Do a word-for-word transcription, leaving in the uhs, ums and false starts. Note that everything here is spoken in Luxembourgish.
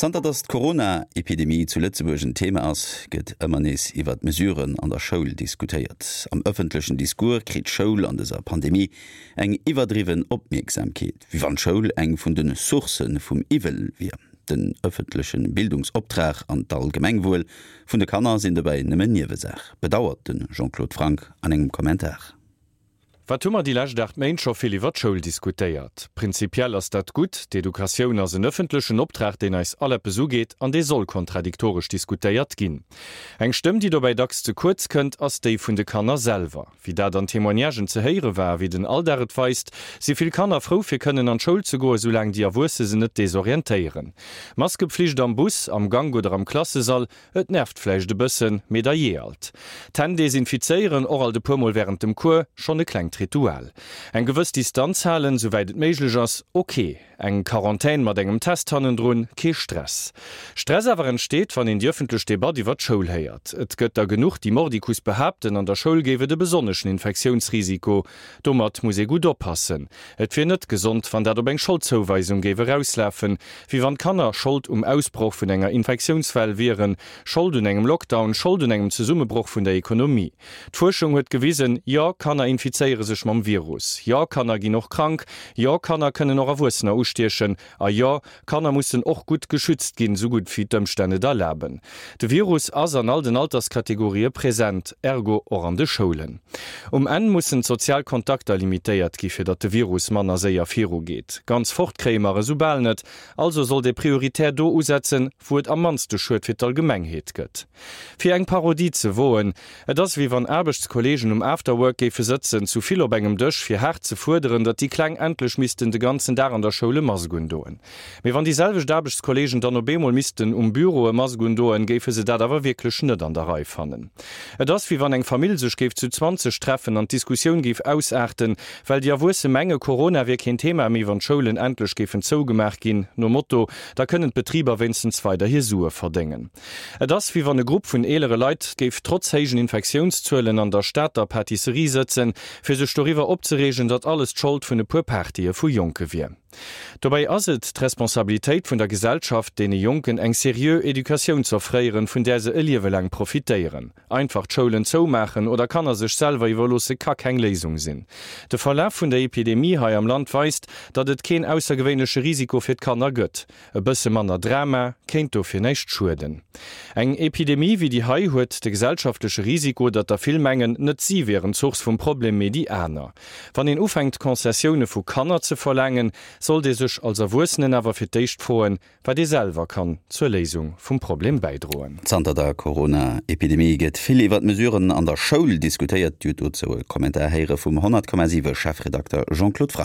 Zanter datt d'Corona-Epidemie zu Lëtzebuerg en Thema ass, gëtt ëmmer nees iwwer d'Mesuren an der Schoul diskutéiert. Am ëffentlechen Discours kritt d'Schoul an dëser Pandemie eng iwwerdriwwen Opmierksamkeet, wéi wann d'Schoul eng vun de Sourcë vum Iwwel wier. Den ëffentleche Bildungsoptrag an d'Allgemengwuel vun de Kanner sinn dobäi nëmmen Niewesaach, bedauert de Jean-Claude Franck an engem Kommentar. Wat hu mer déi lescht aacht Méint scho vill iwwer d'Schoul diskutéiert. Prinzipiell ass dat gutt, d'Educatioun ass en ëffentlechen Optrag, deen eis all eppes ugeet an dee soll kontradiktoresch diskutéiert ginn. Eng Stëmm, déi dobäi dacks ze kuerz kënnt, ass déi vun de Kanner selwer. Wéi dat an Témoignagen ze héiere war a wéi den Alldag et weist, si vill Kanner frou fir kënnen an d'Schoul ze goen, soulaang déi Erwuesse se net desorientéieren. Maskepflicht am Bus, am Gank oder am Klassesall, et nervt vläicht e bëssen, mee da jee alt. D'Hänn desinfizéieren, och alt e puer Mol wärend dem Cours, schonn e klengt Ritual. Eng gewëss Distanz halen, souwäit et méiglech ass, ok. Eng Quarantän mat engem Test hannendrun, kee Stress. Stress awer entsteet, wann een déi ëffentlech Debatt iwwer d'Schoul héiert. Et gëtt der genuch, déi mordicus behaapten, an der Schoul géif et e besonneschen Infektiounsrisiko. Domat muss ee gutt oppassen. Et wier net gesond, wann dat op eng Scholdzouweisung géif erauslafen, wéi wann d'Kanner Schold um Ausbroch vun enger Infektiounswell wieren, Schold un engem Lockdown, Schold un engem Zesummebroch vun der Ekonomie. D'Fuerschung huet gewisen, Jo, Kanner infizéiere sech mam Virus. Jo, Kanner ginn och krank. Jo, Kanner kënnen och Erwuessener ustiechen. A jo, Kanner mussen och gutt geschützt ginn, esou gutt wéi d'Ëmstänn et erlaben. De Virus ass an all den Alterskategorië present, ergo och an de Schoulen. Um Enn mussen d'sozial Kontakter limitéiert gi fir datt de Virus manner séier virugeet. Ganz fort kréie mer e soubal net, also sollt ee prioritär do usetzen, wou et am mannste Schued fir d'Allgemengheet gëtt. Fir eng Parodie ze woen, Et ass wéi wann Aarbechtskolleegen um Afterwork géife sëtzen, zu vill op engem Dësch, fir haart ze fuerderen, datt déi Kleng endlech missten de ganzen Dag an der Schoul e Mask undoen. Mee wann déi selwecht Aarbechtskolleegen dann op eemol missten um Büro e Mask undoen, géife se dat awer wierklech net an der Rei fannen. Et ass wéi wann eng Famill sech géif zu zwanzeg treffen an d'Diskussioun géif ausaarten, well déi Erwuesse menge Corona wier keen Thema méi, wann d'Schoulen endlech géifen zougemaach ginn, nom Motto, da kënnen d'Betriber wéinstens weider hir Sue verdéngen. Et ass wéi wann e Grupp vun eelere Leit géif trotz héijen Infektiounszuelen an der Stater Pâtisserie sëtzen, fir sech doriwwer opzereegen, datt alles d'Schold vun e puer Partye vu Jonke wier. Dobäi ass et d'Responsabilitéit vun der Gesellschaft, deene Jonken eng seriö Educatioun z'offréieren, vun där se e Liewe laang profitéieren. Einfach d'Schoulen zoumaachen oder Kanner sech selwer iwwerloosse ka keng Léisung sinn. De Verlaf vun der Epidemie hei am Land weist, datt et keen aussergewéinleche Risiko fir d'Kanner gëtt. E bësse manner Drama kéint dofir näischt schueden. Eng Epidemie wéi déi hei huet de gesellschaftleche Risiko, datt der vill mengen, net si wieren d'Source vum Problem, mee déi aner. Wann een ufänkt Concessioune vu Kanner ze verlaangen, sollt ee sech als Erwuessenen awer fir d'éischt froen, wat ee selwer kann zur Léisung vum Problem bäidroen. Zanter der Corona-Epidemie gëtt vill iwwer d'Mesuren an der Schoul diskutéiert. Dir hutt dozou e Kommentar héiere vum honnert Komma siwe Chefredakter Jean-Claude Franck.